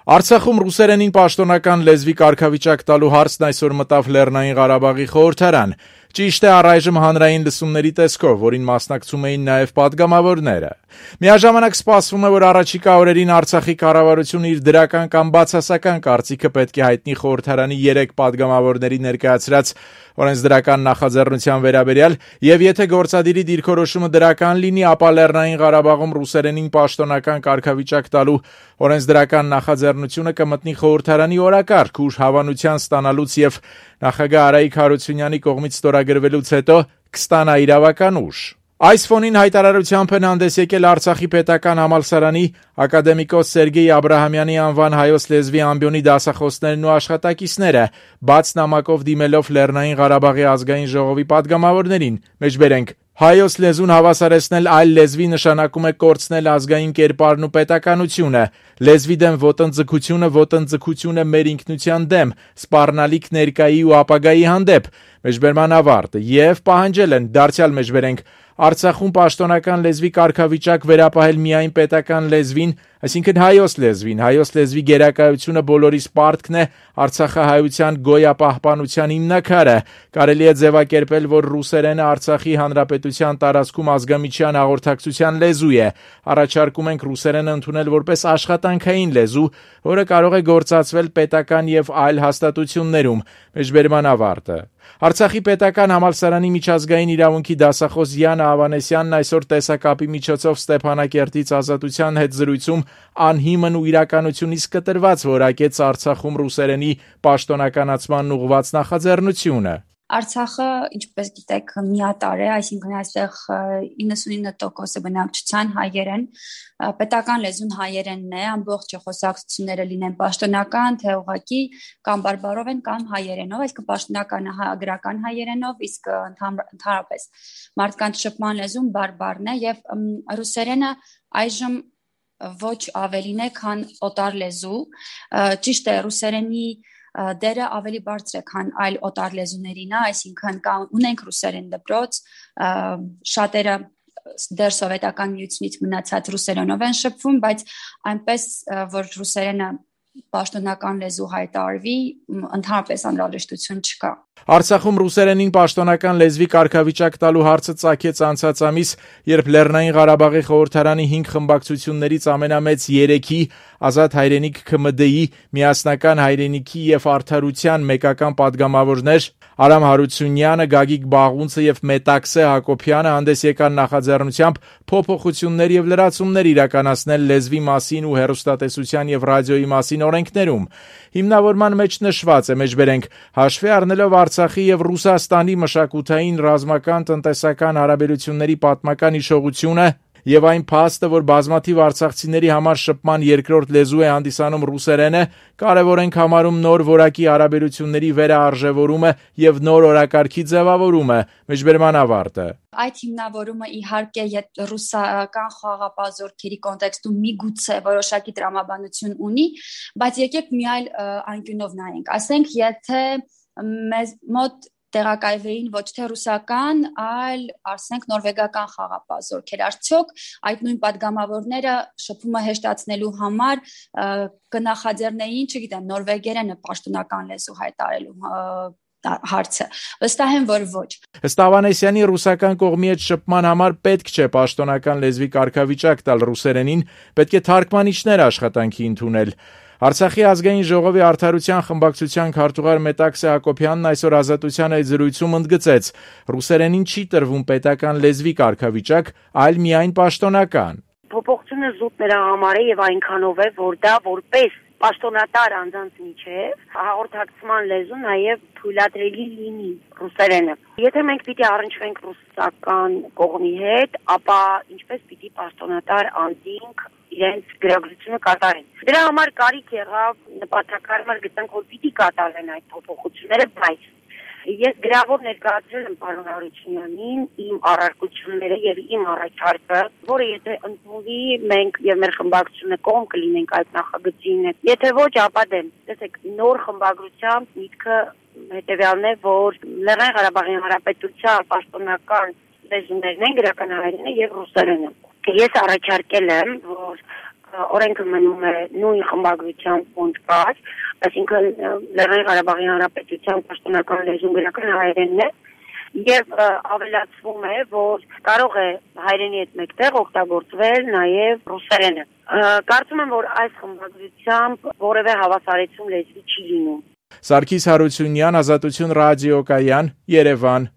Արցախում ռուսերենին պաշտոնական լեզվի կարգավիճակ տալու հարցն այսօր մտավ Լեռնային Ղարաբաղի խորհրդարան։ Ճիշտ է, առայժմ հանրային լսումների տեսքով, որին մասնակցում էին նաև պատգամավորները։ Միաժամանակ սպասվում է, որ առաջիկա օրերին Արցախի կառավարությունը իր դրական կամ բացասական կարծիքը պետք է հայտնի խորհրդարանի 3 պատգամավորների ներկայացրած օրենսդրական նախաձեռնության վերաբերյալ, եւ եթե գործադիրի դիրքորոշումը դրական լինի, ապա Լեռնային Ղարաբաղում ռուսերենին պաշտոնական կարգավիճակ տալու օրենսդրական նախաձեռնությունը կմտնի խորհրդարանի օրակարգ, ուր հավանության ստանալուց եւ նախագահ Արայիկ Հարությունյանի կողմից ստորագրվելուց հետո կստանա իրավական ուժ։ Այս ֆոնին հայտարարությամբ են հանդես եկել Արցախի պետական համալսարանի ակադեմիկոս Սերգեյ Աբրահամյանի անվան հայոց լեզվի ամբիոնի դասախոսներն ու աշխատակիցները, բաց նամակով դիմելով Լեռնային Ղարաբաղի ազգային ժողովի պատգամավորներին, մեջբերենք հայոց լեզուն հավասարեցնել այլ լեզվի նշանակում է կորցնել ազգային կերպարն ու պետականությունը, լեզվի դեմ ոտնձգությունը մեր ինքնության դեմ, սպառնալիք ներկայի ու ապագայի հանդեպ, մեջբերման ավարտ, եւ պահանջել են, դարձյալ մեջբերենք, Արցախում պաշտոնական լեզվի կարգավիճակ վերապահել միայն պետական լեզվին, այսինքն հայոց լեզվի գերակայությունը բոլորիս պարտքն է, արցախահայության գոյապահպանության հիմնաքարը, կարելի է ձևակերպել, որ ռուսերենը Արցախի հանրապետության տարածքում ազգամիջյան հաղորդակցության լեզու է, առաջարկում ենք ռուսերենը ընդունել որպես աշխատանքային լեզու, որը կարող է գործածվել պետական եւ այլ հաստատություններում, մեջբերման ավարտը։ Արցախի պետական համալսարանի միջազգային իրավունքի դասախոս Յանը Ավանեսյանն այսօր տեսակապի միջոցով Ստեփանակերտից Ազատության հետ զրույցում անհիմն ու իրականությունից կտրված որակեց Արցախում ռուսերենի պաշտոնականացման ուղղված նախաձեռնությունը։ Արցախը, ինչպես գիտեք, միատարր է, այսինքն այստեղ 99% բնակչության հայերեն, պետական լեզուն հայերենն է, ամբողջ խոսակցությունները լինեն պաշտոնական, թե ուղղակի կամ բարբառով են կամ հայերենով, այսինքն պաշտոնականը գրական հայերենով, իսկ ընդհանրապես մարդկանց շփման լեզուն բարբառն է եւ ռուսերենը այժմ ոչ ավելին է, քան օտար լեզու, ճիշտ է, ռուսերենի դերը ավելի բարձր է, քան այլ օտար լեզուներին, այսինքն ունենք ռուսերեն դպրոց, շատերը դեռ սովետական միությունից մնացած ռուսերենով են շփվում, բայց այնպես, որ ռուսերենը պաշտոնական լեզու հայտարարվի, ընդհանրապես անհրաժեշտություն չկա։ Արցախում ռուսերենին պաշտոնական լեզվի կարգավիճակ տալու հարցը ծագեց անցած ամիս, երբ Լեռնային Ղարաբաղի խորհրդարանի 5 խմբակցություններից ամենամեծ 3-ի Ազատ հայրենիք ՔՄԴ-ի միասնական հայրենիքի եւ արդարության մեկական պատգամավորներ Արամ Հարությունյանը, Գագիկ Բաղունցը եւ Մետաքսե Հակոբյանը հանդես եկան նախաձեռնությամբ փոփոխություններ եւ լրացումներ իրականացնել լեզվի մասին ու հեռուստատեսության եւ ռադիոյի մասին օրենքներում։ Հիմնավորման մեջ նշված է, մեջբերենք, հաշվի առնելով Արցախի եւ Ռուսաստանի մշակութային, ռազմական, տնտեսական հարաբերությունների պատմական հիշողությունը եւ այն փաստը, որ բազմաթիվ արցախցիների համար շփման երկրորդ լեզու է հանդիսանում ռուսերենը, կարևոր ենք համարում նոր որակի հարաբերությունների վերաարժևորումը եւ նոր օրակարգի ձևավորումը, մեջբերման ավարտը։ Այդ հիմնավորումը իհարկե ռուսական խաղաղապահ կոնտեքստում միգուցե որոշակի տրամաբանություն ունի, բայց եկեք մի այլ անկյունով նայենք, ասենք, եթե մեզ մոտ տեղակայվեին ոչ թե ռուսական, այլ ասենք նորվեգական խաղաղապահ զորքեր, արդյոք այդ նույն պատգամավորները շփումը հեշտացնելու համար կնախաձեռնեին, չգիտեմ, նորվեգերենը պաշտոնական լեզու հայտարարելու հարցը, վստահ եմ, որ ոչ։ Ըստ Ավանեսյանի ռուսական կողմի հետ շփման համար պետք չէ պաշտոնական լեզվի կարգավիճակ տալ ռուսերենին, պետք է թարգմանիչներ աշխատանքի ընդունել։ Արցախի ազգային ժողովի արդարության խմբակցության քարտուղար Մետաքսե Հակոբյանն այսօր Ազատության այդ զրույցում ընդգծեց. ռուսերենին չի տրվում պետական լեզվի կարգավիճակ, այլ միայն պաշտոնական։ Փոփոխությունը զուտ նրա համար է եւ այնքանով է, որ դա որպես պաշտոնատար անձանց միջև հաղորդակցման լեզու նաև թույլատրելի լինի ռուսերենը։ Եթե մենք պիտի առնչվենք ռուսական կողմի հետ, ապա ինչպես պիտի պաշտոնատար անձինք իրենց գրագրությունը կատարեն։ Դրա համար կարիք եղավ նպատակարար գտանք, որ պիտի կատարեն այդ փոփոխությունները, բայց ես գրավոր ներկայացրել եմ պարոն Հարությունյանին իմ առարկությունները եւ իմ առաջարկը, որը եթե ընդունվի, մենք եւ մեր խմբակցությունը կողմ կլինենք այդ նախագծին։ Եթե ոչ, ապա դեմ։ Տեսեք, նոր խմբագրությամբ միտքը հետեւյալն է, որ Լեռնային Ղարաբաղի Հանրապետության պաշտոնական լեզուներն են գրական հայերենը եւ ռուսերենը։ Ես առաջարկել եմ, որ օրենքը մնում է նույն խմբագրության ֆոնդ կար, այսինքն Լեռնային Ղարաբաղի Հանրապետության պաշտոնական լեզուն գրական հայերենն է եւ ավելացվում է, որ կարող է հայերենի հետ մեկտեղ օգտագործվել նաեւ ռուսերենը։ Կարծում եմ, որ այս խմբագրությամբ որևէ հավասարեցում լեզվի չի լինում։ Սարգիս Հարությունյան, Ազատություն ռադիոկայան, Երևան։